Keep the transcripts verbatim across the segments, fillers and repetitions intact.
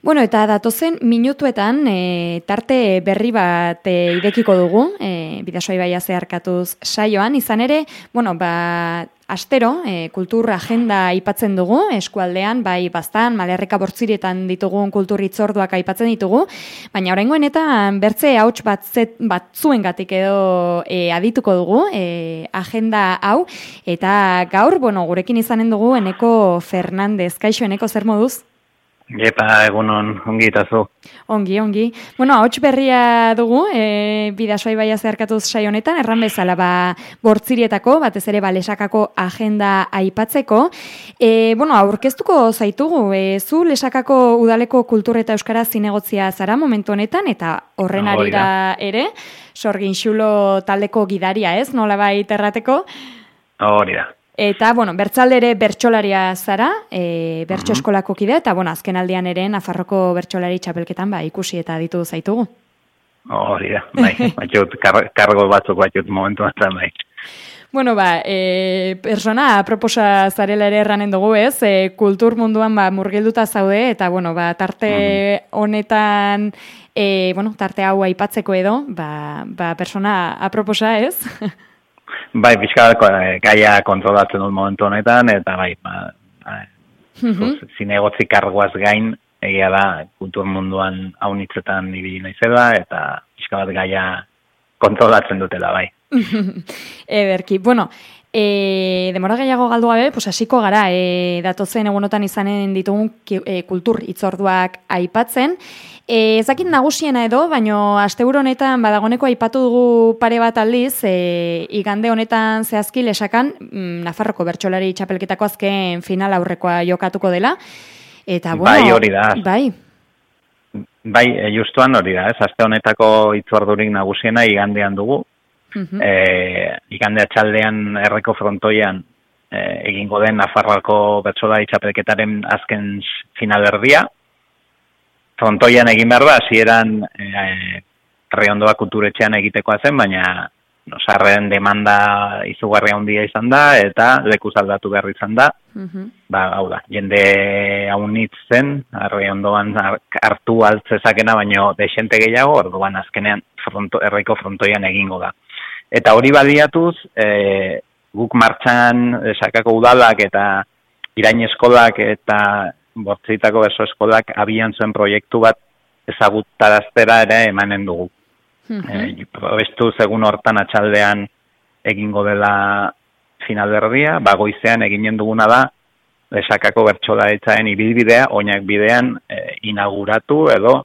Bueno, eta datozen minutuetan e, tarte berri bat e, idekiko dugu, e, Bidasoa ibaia zeharkatuz saioan, izan ere, bueno, ba, astero, e, kultur agenda aipatzen dugu, eskualdean, bai Baztan, Malerreka Bortzirietan ditugun kultur hitzorduak aipatzen ditugu, baina oraingoen eta bertze hauts batzet, batzuengatik edo e, adituko dugu, e, agenda hau, eta gaur, bueno, gurekin izanen dugu Eneko Fernandez. Kaixo, Eneko, zer moduz? Epa, egunon, ongi eta zu. Ongi, ongi. Bueno, ahots berria dugu, e, Bidasoa ibaia zeharkatuz saio honetan, erran bezala, ba, Bortzirietako, batez ere, ba, Lesakako agenda aipatzeko. E, bueno, aurkeztuko zaitugu, e, zu Lesakako udaleko kultur eta euskara zinegotzia zara momentu honetan, eta horren no, arira ere, Sorgin Xulo taldeko gidaria, ez? Nolabait errateko? Hori da. Eta, bueno, bertzalde ere bertsolaria zara, e, bertso eskolako kidea, eta, bueno, azken aldian ere Nafarroko bertsolari txapelketan, ba, ikusi eta ditu zaitugu. Hori da, bai, batxut, kar, kargo batzuk batxut momentu batzan, bai. Bueno, ba, e, persona aproposa zarela ere erranen dugu, ez? E, kultur munduan, ba, murgilduta zaude, eta, bueno, ba, tarte honetan, e, bueno, tarte hau aipatzeko edo, ba, ba, persona aproposa, ez? Bai, pixka gaia kontrolatzen dut momentu honetan, eta bai, ba, uh-huh. zinegotzi kargoaz gain, egia da, kultur munduan haunitzetan ibili naizela, eta pixka bat gaia kontrolatzen dutela, bai. Ederki, bueno, e, demora gehiago galdu gabe, pues hasiko gara, e, datozen egunotan izanen ditugun e, kultur hitzorduak aipatzen. E, ezakit nagusiena edo, baino asteburu honetan badagoneko aipatu dugu pare bat aldiz, e, igande honetan zehazki Lesakan mm, Nafarroko bertsolari txapelketako azken final aurrekoa jokatuko dela. Eta, bueno, bai, hori da. Bai. Bai, justuan hori da, ez, aste honetako hitzordurik nagusiena igandean dugu. Uh-huh. E, igande atxaldean Erreko Frontoian e, egingo den Nafarroako bertsolari txapelketaren azken finalerdia. Frontoian egin behar da, hasieran e, Reondoa kulturetxean egitekoa zen, baina no, sarren demanda izugarria handia izan da, eta lekuz aldatu behar izan da. Uh-huh. Ba, hau da, jende haunitz zen, Reondoan hartu altzezakena, baino desente gehiago, orduan azkenean fronto, Erreko Frontoian egingo da. Eta hori baliatuz, e, guk martxan Lesakako udalak eta Irain eskolak eta Bortzitako berso eskolak abian zuen proiektu bat ezagutaraztera ere emanen dugu. Uh-huh. E, probestu segun hortan atxaldean egingo dela finalberdia, bagoizean eginen duguna da Lesakako bertsolaritzaren ibilbidea, oinak bidean e, inauguratu edo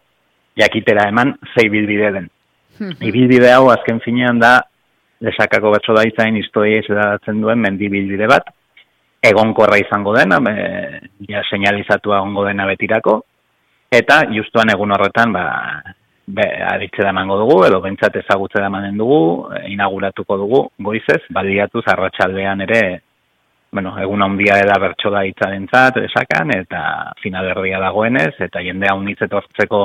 jakitera eman zei bilbide den. Uh-huh. Ibilbide hau azken finean da Lesakako bertsolaritzaren historia izadatzen duen mendibilbide bat, egonkorra izango dena, e, ja señalizatua egongo dena betirako, eta justuan egun horretan, ba, be, aditzera emango dugu, edo bentsat ezagutzera emanen dugu, e, inauguratuko dugu, goizez, baliatuz arratsaldean ere, bueno, egun handia da bertsolaritzaren Lesakan, eta finalerdia dagoenez, eta jendea unitz etortzeko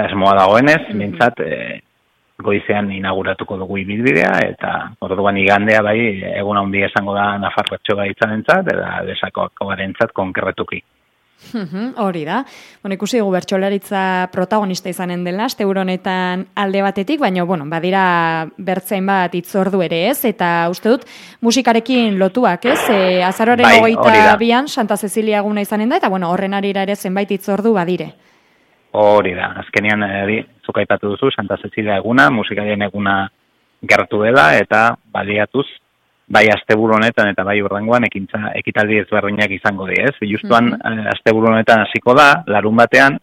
asmoa dagoenez, mm-hmm. bentsat, e, goizean inauguratuko dugu ibilbidea, eta orduan igandea bai, egun handia esango da Nafarro bertsolaritzarentzat eta Lesakoarentzat konkretuki. Hori da. Bueno, ikusi dugu bertsolaritza protagonista izanen dela, asteburu honetan alde batetik, baina, bueno, badira bertzein bat hitzordu ere, ez? Eta uste dut musikarekin lotuak, ez? E, azaroaren bai, hogeita bian Santa Cecilia eguna izanen da, eta, bueno, horren arira ere zenbait hitzordu badire. Hori da, azkenean eri, zuk aipatu duzu, Santa Cecilia eguna, musikarien eguna gertu dela, eta baliatuz, bai asteburu honetan eta bai hurrengoan ekintza ekitaldi ezberdinak izango dira, ez? Justuan mm-hmm. asteburu honetan hasiko da, larun batean,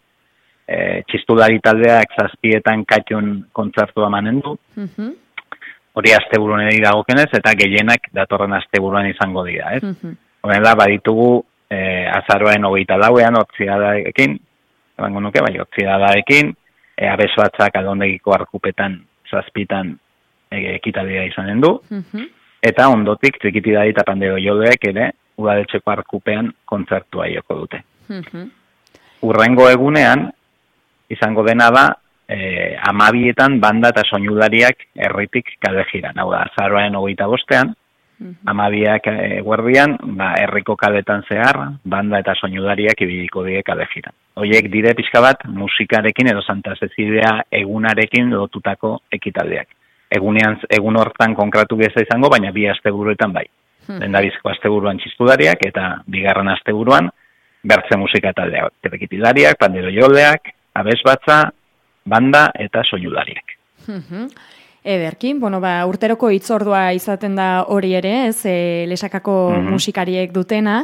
e, txistulari taldeak zazpietan katxun kontzertua emanen du. Mm-hmm. Hori asteburu honeri dagokenez, eta gehienak datorren asteburuan izango dira, ez? Mm-hmm. Horrela, baditugu e, azaroaren hogeita lauean, hortziadarekin, ebango nuke, bai, hortziadarekin, e, abesoatzak aldondegiko arkupetan, zazpitan e, ekitaldia izanen du. Mm-hmm. Eta ondotik, txikitidari eta pandero jodeek ere, udaletxeko arkupean kontzertua joko dute. Mm-hmm. Urrengo egunean, izango dena da, e, amabietan banda eta soinulariak herritik kale jiran. Hau da, azaroaren hogeita bostean, amabiak eguerdian, ba, herriko kaletan zehar, banda eta soinudariak ibiliko die kale jiran. Hoiek dire pixka bat musikarekin edo Santa Cecilia egunarekin lotutako ekitaldeak. Egunean, egun hortan konkratu geza izango, baina bi asteburuetan bai. Lehendabiziko asteburuan txistulariak eta bigarren asteburuan bertze musika taldeak. Ekitalariak, pandero joleak, abesbatza, banda eta soinudariak. Ederki, bueno, ba, urteroko hitzordua izaten da hori ere, ez, e, Lesakako mm-hmm. musikariek dutena,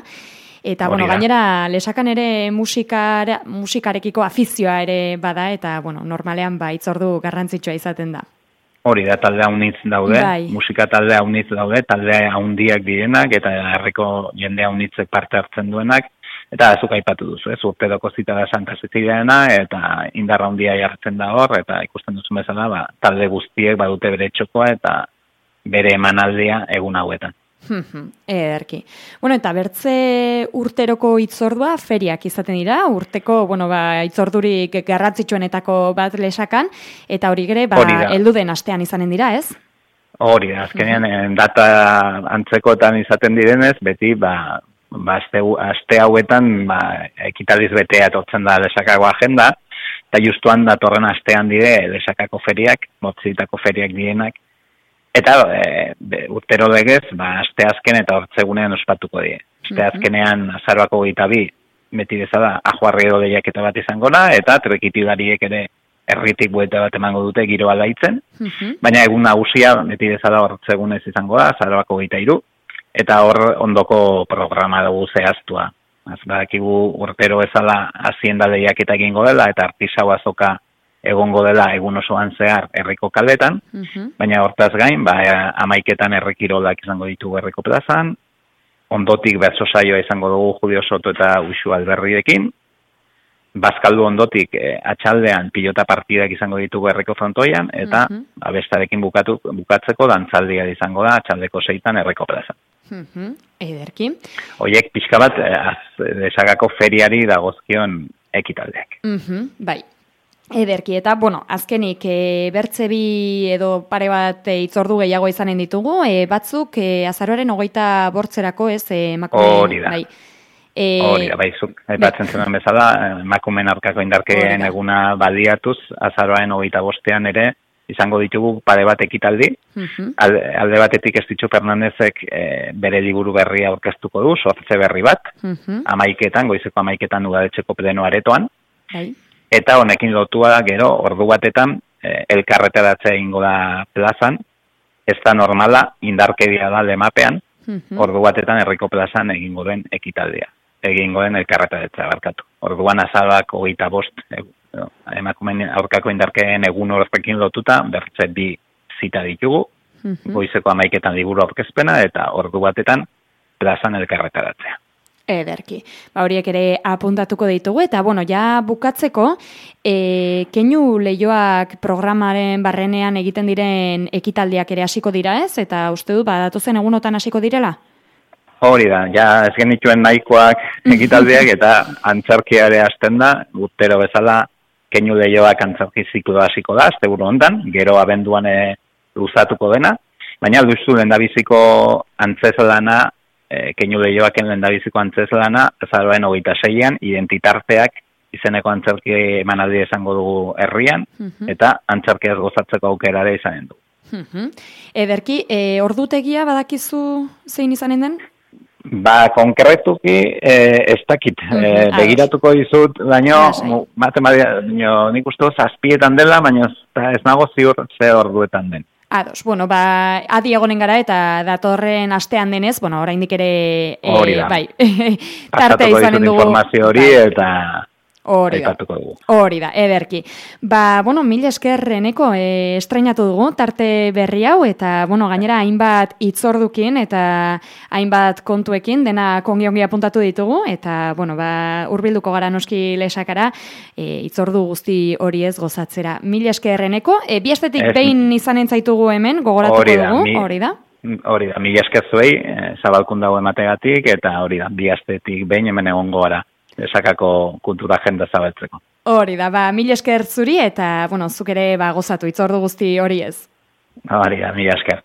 eta, hori bueno, da. Gainera, Lesakan ere musikara, musikarekiko afizioa ere bada, eta, bueno, normalean, ba, hitzordu garrantzitsua izaten da. Hori da, talde haunitz daude, bai. Musika talde haunitz daude, talde haundiak direnak, eta herriko jende haunitzek parte hartzen duenak, eta azuk aipatu duzu, ez, urteroko zita da Santa Ceciliana, eta indarra handia jartzen da hor, eta ikusten duzu bezala, ba, talde guztiek badute bere txokoa, eta bere emanaldia egun hauetan. Ederki. Bueno, eta bertze urteroko hitzordua feriak izaten dira, urteko, bueno, ba, hitzordurik garrantzitsuenetako bat Lesakan, eta hori gere, ba, heldu den astean izanen dira, ez? Hori da, azkenean, data antzekotan izaten direnez, beti, ba, Ba, aste, aste hauetan ba, ekitaldiz betea etortzen da Lesakako agenda, eta justuan datorren astean dire Lesakako feriak, motzitako feriak direnak, eta e, be, urtero legez, ba, aste azken eta hortzegunean ospatuko die. Aste azkenean azaroako gita bi, beti bezala, ajuarri edo lehiaketa bat izango da, eta trekitidariek ere herritik bueta bat emango dute giro aldaitzen, baina egun nagusia beti bezala hortzegunez izango da, azaroako gita hiru, eta hor ondoko programa dugu zehaztua. Az, badakigu urtero ezala hazienda lehiaketa egingo dela, eta artisau azoka egongo dela egun osoan zehar herriko kaletan, uh-huh. baina hortaz gain, ba, amaiketan herrikirolak izango ditugu herriko plazan, ondotik bertso saioa izango dugu Julio Soto eta Uxu Alberriekin, Bazkaldu ondotik eh, atxaldean pilota partidak izango ditugu herriko frontoian, eta uh-huh. abestarekin bukatu, bukatzeko dantzaldia izango da atxaldeko seitan herriko plazan. Uh-huh. Ederki. Hoiek pixka bat Lesakako feriari dagozkion ekitaldeak. Uh-huh. Bai. Ederki, eta, bueno, azkenik, e, bertze bi edo pare bat e, itzordu gehiago izanen ditugu, e, batzuk e, azaroaren hogeita bortzerako, ez, emakume... Hori da. Bai. E... Hori da, bai, zuk, aipatzen zenuen bezala, emakumeen aurkako indarkeen eguna baliatuz, azaroaren hogeita bostean ere, izango ditugu pare bat ekitaldi. Uh-huh. alde, alde batetik Estitxu Fernandezek e, bere liburu berria aurkeztuko du, sortze berri bat, uh-huh. amaiketan, goizeko amaiketan udaletxeko pleno aretoan. Bai. Eta honekin lotua gero, ordu batetan, e, elkarretaratzea egingo da plazan, ez da normala, indarkeria da lemapean, uh-huh. ordu batetan herriko plazan egingo den ekitaldia. Egingo den elkarretaratzea barkatu. Orduan azalak hogeita bost, e, emakumeen aurkako indarkeen egun horrekin lotuta, bertze bi zita ditugu, uh-huh. goizeko amaiketan liburu aurkezpena, eta ordu batetan plazan elkarretaratzea. Ederki. Ba, horiek ere apuntatuko ditugu, eta, bueno, ja bukatzeko, e, keinu lehioak programaren barrenean egiten diren ekitaldiak ere hasiko dira, ez? Eta uste du, ba, datozen egunotan hasiko direla? Hori da, ja, ez genituen nahikoak ekitaldiak, eta antzarkia ere hasten da, urtero bezala, keinu lehioak antzarki ziklo hasiko da, azte buru ondan, gero abenduan e, luzatuko dena, baina alduztu lehendabiziko antzezalana, E, keinu lehioaken lehendabiziko antzezlana, azaroaren hogeita seian, identitarteak izeneko antzerki emanaldi esango dugu herrian, uh-huh. eta antzerkiaz gozatzeko aukerare izanen du. Uh-huh. Ederki, e, ordutegia badakizu zein izanen den? Ba, konkretuki e, ez dakit. Uh-huh. E, begiratuko dizut, baino, matematia, nik uste zazpietan dela, baina ez nago ziur ze orduetan den. Ados, bueno, ba, adi egonen gara eta datorren astean denez, bueno, oraindik ere hori da. E, bai, tarte izanen dugu. Informazio hori bai. Eta hori da. Hori da, ederki. Ba, bueno, mil esker Eneko e, estreinatu dugu tarte berri hau, eta, bueno, gainera hainbat hitzordukin eta hainbat kontuekin dena kongi-ongi apuntatu ditugu, eta, bueno, ba, hurbilduko gara noski Lesakara e, hitzordu guzti hori ez gozatzera. Mil esker Eneko, e, bi estetik behin izanen zaitugu hemen, gogoratuko dugu, hori da? Hori da, mil esker zuei, e, zabalkun dago emategatik, eta hori da, bi estetik behin hemen egongo gara. Lesakako kultura agenda zabaltzeko. Hori da, ba, mil esker zuri eta, bueno, zuk ere ba, gozatu, hitzordu guzti hori ez. Hori da, mil esker.